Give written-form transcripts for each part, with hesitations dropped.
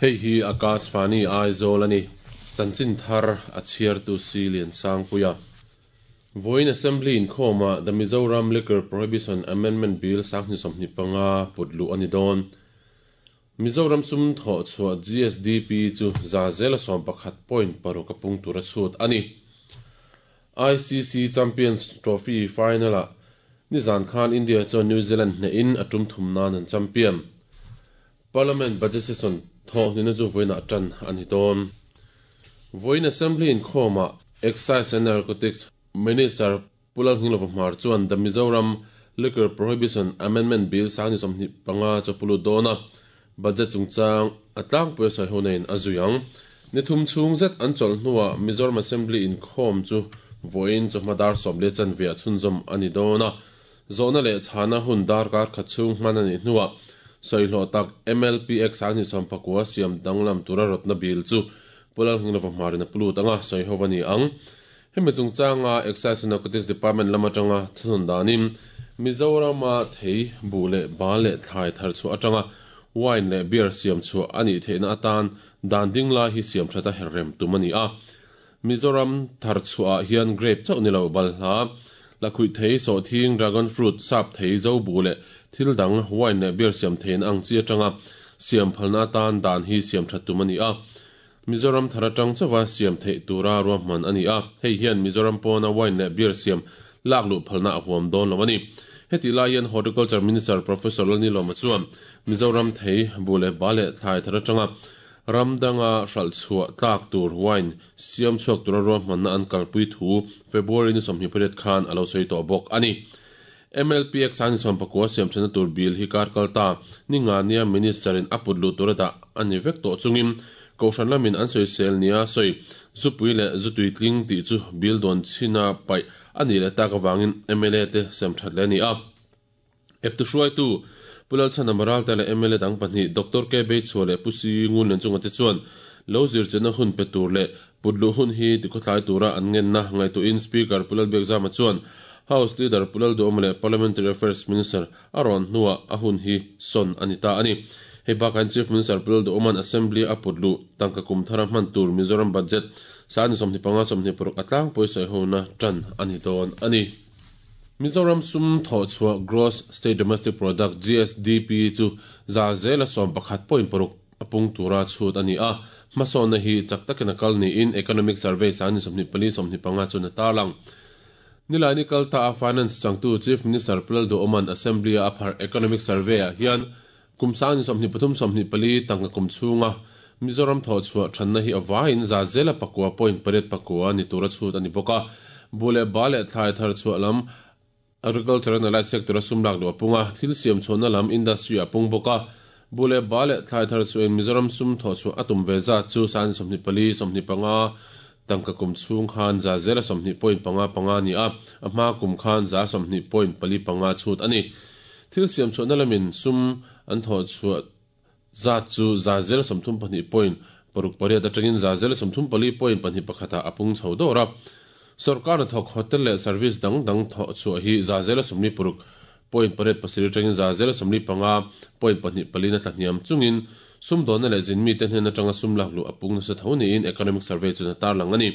Hei hi Akashvani Aizawl a ni. Chanchin thar a chhiartu si Liansangpuia. Vawiin Assembly inkhawmah The Mizoram Liquor Prohibition Amendment Bill 2025 put luh a ni dawn. Mizoram sum thawh chhuah GSDP chu 11.6% a pung tur a chhut a ni. ICC Champions Trophy final-ah nizan khan India chuan New Zealand hnehin a tum thum nan an champion. Parliament budget session thawh hnihna chu vawiinah tan a ni dawn. Vawiin Assembly inkhawmah Excise and Narcotics Minister Pu Lalnghinglova Hmar chuan The Mizoram Liquor Prohibition Amendment Bill 2025 chu a pu lut dawn a, budget chungchang a tlangpui a sawi ho neiin a zui ang. Ni thum chhung zet an chawlh hnuah Mizoram Assembly inkhawm chu vawiin chawhma dar 10 chanve ah chhunzawm a ni dawn a, zawhna leh chhana hun darkar khat chhung hman a nih hnuah sawihlawh tak MLPX 2019 siam danglam tura rawtna bill chu Pu Lalnghinglova Hmarin a pu lut ang a, sawi ho a ni ang. Hemi chungchanga Excise and Narcotics Department lam atanga thunawn danin Mizorama thei, buh leh bal leh thlai thar chhuah atanga wine leh beer siam chhuah a nih theihna atan dan ding lai hi siam that a herrem tum a ni a. Mizoram thar chhuahah hian grape chauh ni lo balhla, lakhuih thei, sawhthing, dragon fruit, sap thei, zo buh leh thil dang wine leh beer siam theihna ang chi atanga siam phalna atan dan hi siam that tum a ni a. Mizoram thar atang chauha siam theih tura ruahman a ni a, hei hian Mizoram pawna wine leh beer siam lak luh phalna a huam dawn lo a ni. Hetih lai hian Horticulture Minister Professor Lalnilawma chuan Mizoram thei, buh leh ba leh thlai thar atanga ram danga hralh chhuah tlak tur wine siam chhuak tura ruahmanna an kalpui thu February ni 28 khan a lo sawi tawh bawk a ni. MLPX 2019 siam thlenna tur bill hi kar kal ta ni nga nia Minister in a put luh tura dah a ni vek tawh chungin Kohhran lamin an sawisel nia sawi zupui leh zutui tling tih chu bill dawn chhina paih a nih leh tak avangin mla te sem that leh a ni a. Eptu hruaitu Pu Lalchhana Maralte leh mla dang pahnih Doctor K Beichhua leh Pu Si Ngunlian chunga te chuan lo zirchianna hun pe tur leh Put luh hun hi tikhuatlai tura an ngenna ngaihtuahin Speaker Pu Lalbiakzama chuan House Leader Pu Lalduhawma leh Parliamentary Affairs Minister a rawn hnuah a hun hi sawn a ni ta a ni. Hei bakah hian Chief Minister Pu Lalduhawma'n Assembly a put luh tangka kum thara hman tur Mizoram Budget 25 26 a tlangpui sawihona tan a ni dawn a ni. Mizoram sum thawhchhuah Gross State Domestic Product, GSDP, chu 11.6% a pung tura chhut a ni a, hmasawnna hi chak takin a kal niin Economic Survey 24 25 chuan a tarlang. Nilaini kal ta a Finance changtu Chief Minister Pu Lalduhoma'n Assembly-a a pharh Economic Survey-ah hian kum 23 24 tangka kum chhunga Mizoram thawhchhuah thanna hi a vaiin 9.89 ni tura chhut a ni bawk a, buh leh ba leh thlai thar chhuah lam Agriculture and Allied Sector a sum lak luh a pung a, thil siam chhuahna lam industry a pung bawk a. Buh leh ba leh thlai thar chhuahin Mizoram sum thawh chhuah a tum ve zat chu 24, 25 tangka kum chhung khan 20.55 a ni a, a hma kum khan 20.45 chhut a ni. Thil siam chhuahna lamin sum an thawh chhuah zat chu 32.68 atangin 34.21 ah a pung chho dawr a. Sorkar hnathawk hotel leh service dang dang thawh chhuah hi 86.87 atangin 45.24 na tlahniam chungin sumdawnna leh zinmite hnen atanga sum lak luh a pung nasa tho niin Economic Survey chuan a tarlang a ni.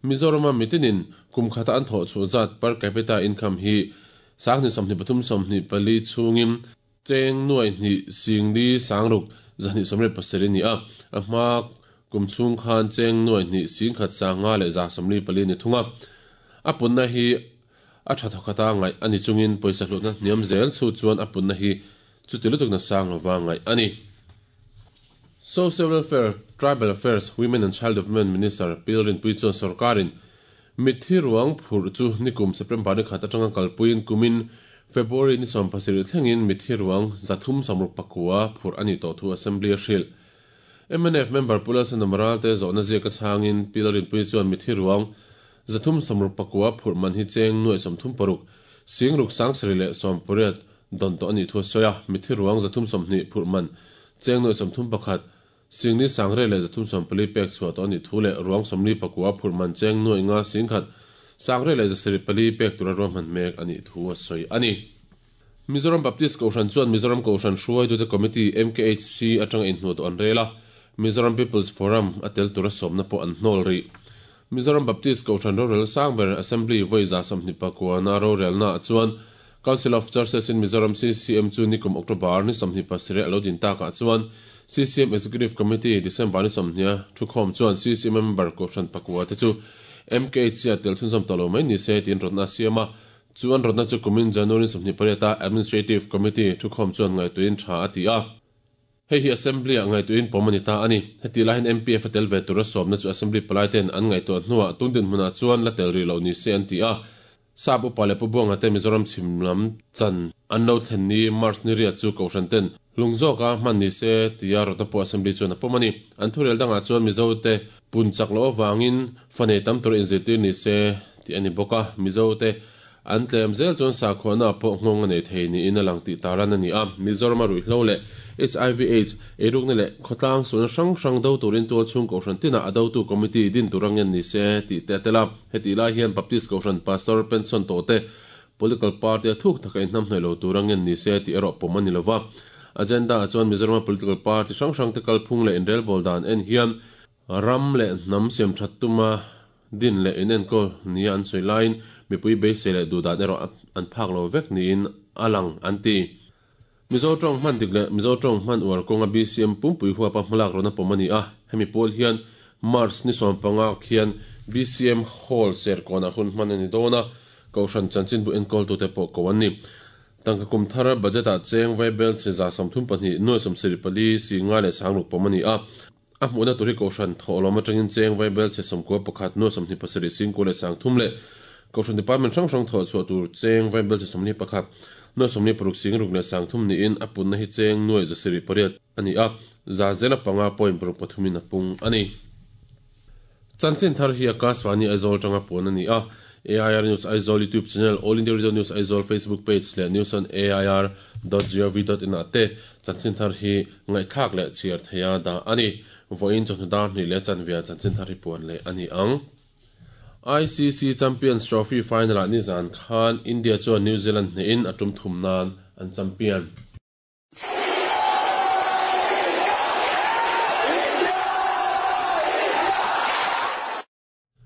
Mizorama mitinin kum khata an thawh chhuah zat per capita income hi 23 24 chhungin Cheng nuai hnih singli sangruk zahnih sawmriat pasarih a ni a, a hma kum chhung khan cheng nuai hnih singkhat sanga leh 144 a ni thung a. A punna hi a tha thawkhata ngaih a ni chungin pawisa hlutna hniam zel chu chuan a punna hi chuti lutuk na sang lova ngaih a ni. Social Welfare, Tribal Affairs, Women and Child Development Minister Pi Rinpuii chuan sorkarin Mitthi ruang phurh chu nikum September ni khat atanga kalpuiin kumin February ni 17 thlengin mitthi ruang 369 phurh a nih tawh thu Assembly a hrilh. Mnf member Pu Lalsana Maralte zawhna ziaka chhangin Pi Lalrinpuii chuan mitthi ruang 369 phurh man hi cheng nuai 36, singruk sangsarih leh 18 dawn tawh a nih thu a sawi a, mitthi ruang 320 phurh man cheng nuai 31, Singni Sangre leh 340 pek chhuah tawh a nih thu leh ruang 49 phurh man cheng nuai nga singkhat Sangre leh 74 pek tura ruahman mek a nih thu a sawi a ni. Mizoram Baptist Kohhran chuan Mizoram Kohhran hruaitute Committee, MKHC, atanga inhnuh tawh an rel a. Mizoram People's Forum a tel tura sawmna pawh an hnawl rih. Mizoram Baptist Kohhran rorel sang ber Assembly vawi 29 na rorelnaah chuan Council of Churches in Mizoram, CCM, chu nikum October ni 27 a lo din takah chuan CCM Executive Committee December ni 20 a thukhawm chuan CCM member kohhran pakua te chu MKHC ah tel chhunzawm tawh lo mai ni se tiin rawtna a siam a. Chu an rawtna chu kumin January 28 a Administrative Committee thukhawm chuan ngaihtuahin tha a ti a. Hei hi Assembly ah ngaihtuahin pawm a ni ta a ni. Hetih laiin MPF a tel ve tura sawmna chu Assembly palai ten an ngaihtuah hnuah tun dinhmunah chuan la tel rih loh ni se an ti a. Sap upa leh Pu Buanga te Mizoram chhim lam chan an lo thlen ni March ni riat chu Kohhran ten hlung zawka hman ni se tia rawtna pawh Assembly chuan a pawm a ni. An thurel dangah chuan Mizo te pun chak loh avangin fa nei tam tura inzirtir ni se tih a ni bawk a. Mizo te An tlem zel chuan sakhuana pawh nghawng a nei thei niin a lang tih taran a ni a. Mizorama ruihhlo leh hiv aids, eirukna leh khawtlang sualna hrang hrang do turin tualchhung kohhran tinah a dotu committee din tur a ngen ni se tih te a tel a. Hetih lai hian Baptist kohhran pastor pension tawh te political party a thuk taka inhnamhnawih lo tur a ngen ni se tih erawh pawm a ni lova. Agenda ah chuan Mizorama political party hrang hrang te kalphung leh inrelbawl dan en hian ram leh hnam siamthat tuma Din leh inenkawl nia an sawi laiin mipui beisei leh duhdan erawh an phak lo vek niin a lang an ti. Mizo tawng hman dik leh Mizo tawng hman uar kawnga BCM pumpui huapa hmalak rawn a pawm a ni a, hemi pawl hian March ni 15 khian BCM Hall Serkawnah hun hman a ni dawn a, Kohhran chanchinbu enkawltute pawh ko an ni. Tangka kum thar budget-ah cheng vaibel chi 32 nuai 74 si nga leh sangruk pawm a ni a, A hmuhna tur hi Kohhran thawhlawm atangin cheng vaibel chhe 91 nuai 27 singkua leh 30 leh Kohhran Department hrang hrang thawh chhuah tur cheng vaibel chhe 41 nuai 46 singruk leh 30 niin a punna hi cheng nuai 708 a ni a, za zela panga point paruk pathumin a pung a ni. Chanchin thar hi Akashvani Aizawl atanga puan a ni a, AIR News Aizawl YouTube channel, All India Radio News Aizawl Facebook page leh News on AIR dot gov dot in ah te Chanchin thar hi ngaihthlak leh chhiar theia dah a ni. Vawiin chawhnu dar hnih leh chanvia chanchin thar hi puan leh a ni ang. ICC Champions Trophy final-ah nizan khan India chuan New Zealand hnehin a tum thum nan an champion.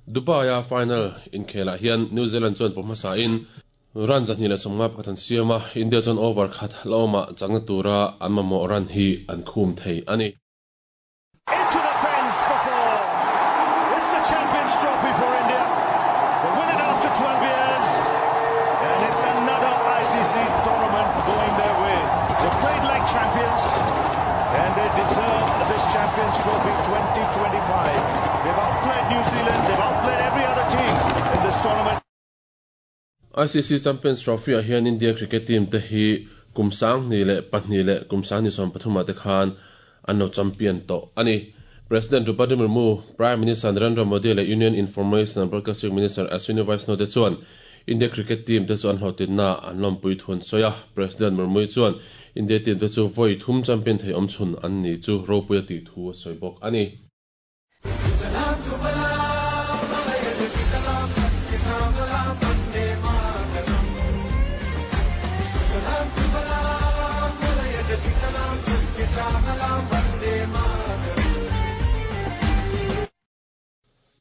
Dubai-a final inkhelah hian New Zealand chuan pawh hmasain run 251 an siam a, India chuan over khat hlauhawmah chakna tura an mamawh run hi an khum thei a ni. Into the fence for four. It's the Champions Trophy for India. They win it after 12 years. And it's another ICC tournament going their way. They played like champions and they deserve this Champions Trophy 2025. They've outplayed New Zealand, they've outplayed every other team in this tournament. ICC Champions Trophy-ah hian India cricket team te hi kum 2002 leh kum 2013 ah te khan an lo champion tawh a ni. President Draupadi Murmu, Prime Minister Narendra Modi leh Union Information and Broadcasting Minister Ashwini Vaishnaw te chuan India cricket team te chu an hlawhtlinna an lawmpui thu an sawi a. President Murmu chuan India team te chu vawi thum champion thei awmchhun an ni chu ropui a tih thu a sawi bawk a ni.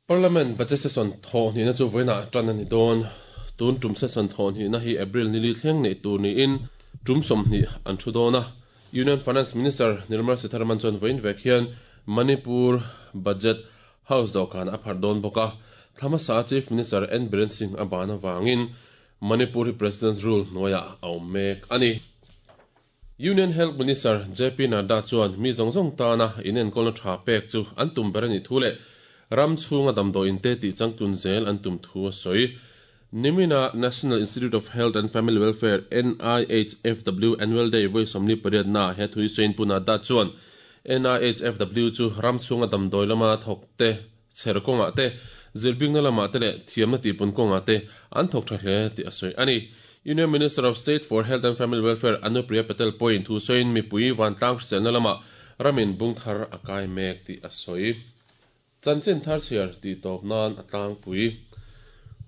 Parliament budget session thawh hnihna chu vawiinah tan a ni dawn. Tun tum session thawh hnihna hi April nili thleng neih tur niin tum 20 an thu dawn a. Union Finance Minister Nirmala Sitharaman chuan vawiin vek hian Manipur Budget House dawhkan a pharh dawn bawk a. Thla hmasa a Chief Minister N Biren Singh a ban avangin Manipur hi President's Rule hnuaiah a awm mek a ni. Union Health Minister JP Nadda chuan mi zawng zawng tana inenkawlna tha pek chu an tum ber a nih thu leh ram chhunga damdawiin te tih changtlun zel an tum thu a sawi. Nimina National Institute of Health and Family Welfare, NIHFW, Annual Day vawi 48 naah he thu hi sawiin Pu Nadda chuan NIHFW chu ram chhunga damdawi lama thawk te, chher kawngah te, zirbingna lamah te leh thiamna tihpun kawngah te an thawk tha hle tih a sawi a ni. Union Minister of State for Health and Family Welfare Anupriya Patel pawhin thu sawiin mipui vantlang hriselna lamah ramin bung thar a kai mek tih a sawi. Chanchin thar chhiar tih tawp nan a tlangpui.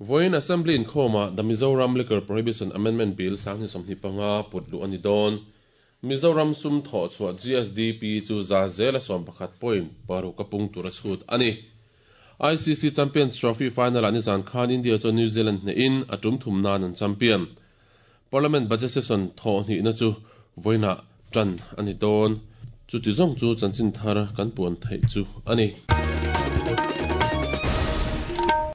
Vawiin Assembly inkhawmah The Mizoram Liquor Prohibition Amendment Bill 2025 put luh a ni dawn. Mizoram sum thawh chhuah GSDP chu 11% point paruk a pung tura chhut a ni. ICC Champions Trophy final-ah nizan khan India chuan New Zealand hnehin a tum thum nan an champion. Parliament budget session thawh hnihna chu vawiinah tan a ni dawn. Chuti zawng chu chanchin thar kan puan theih chu a ni.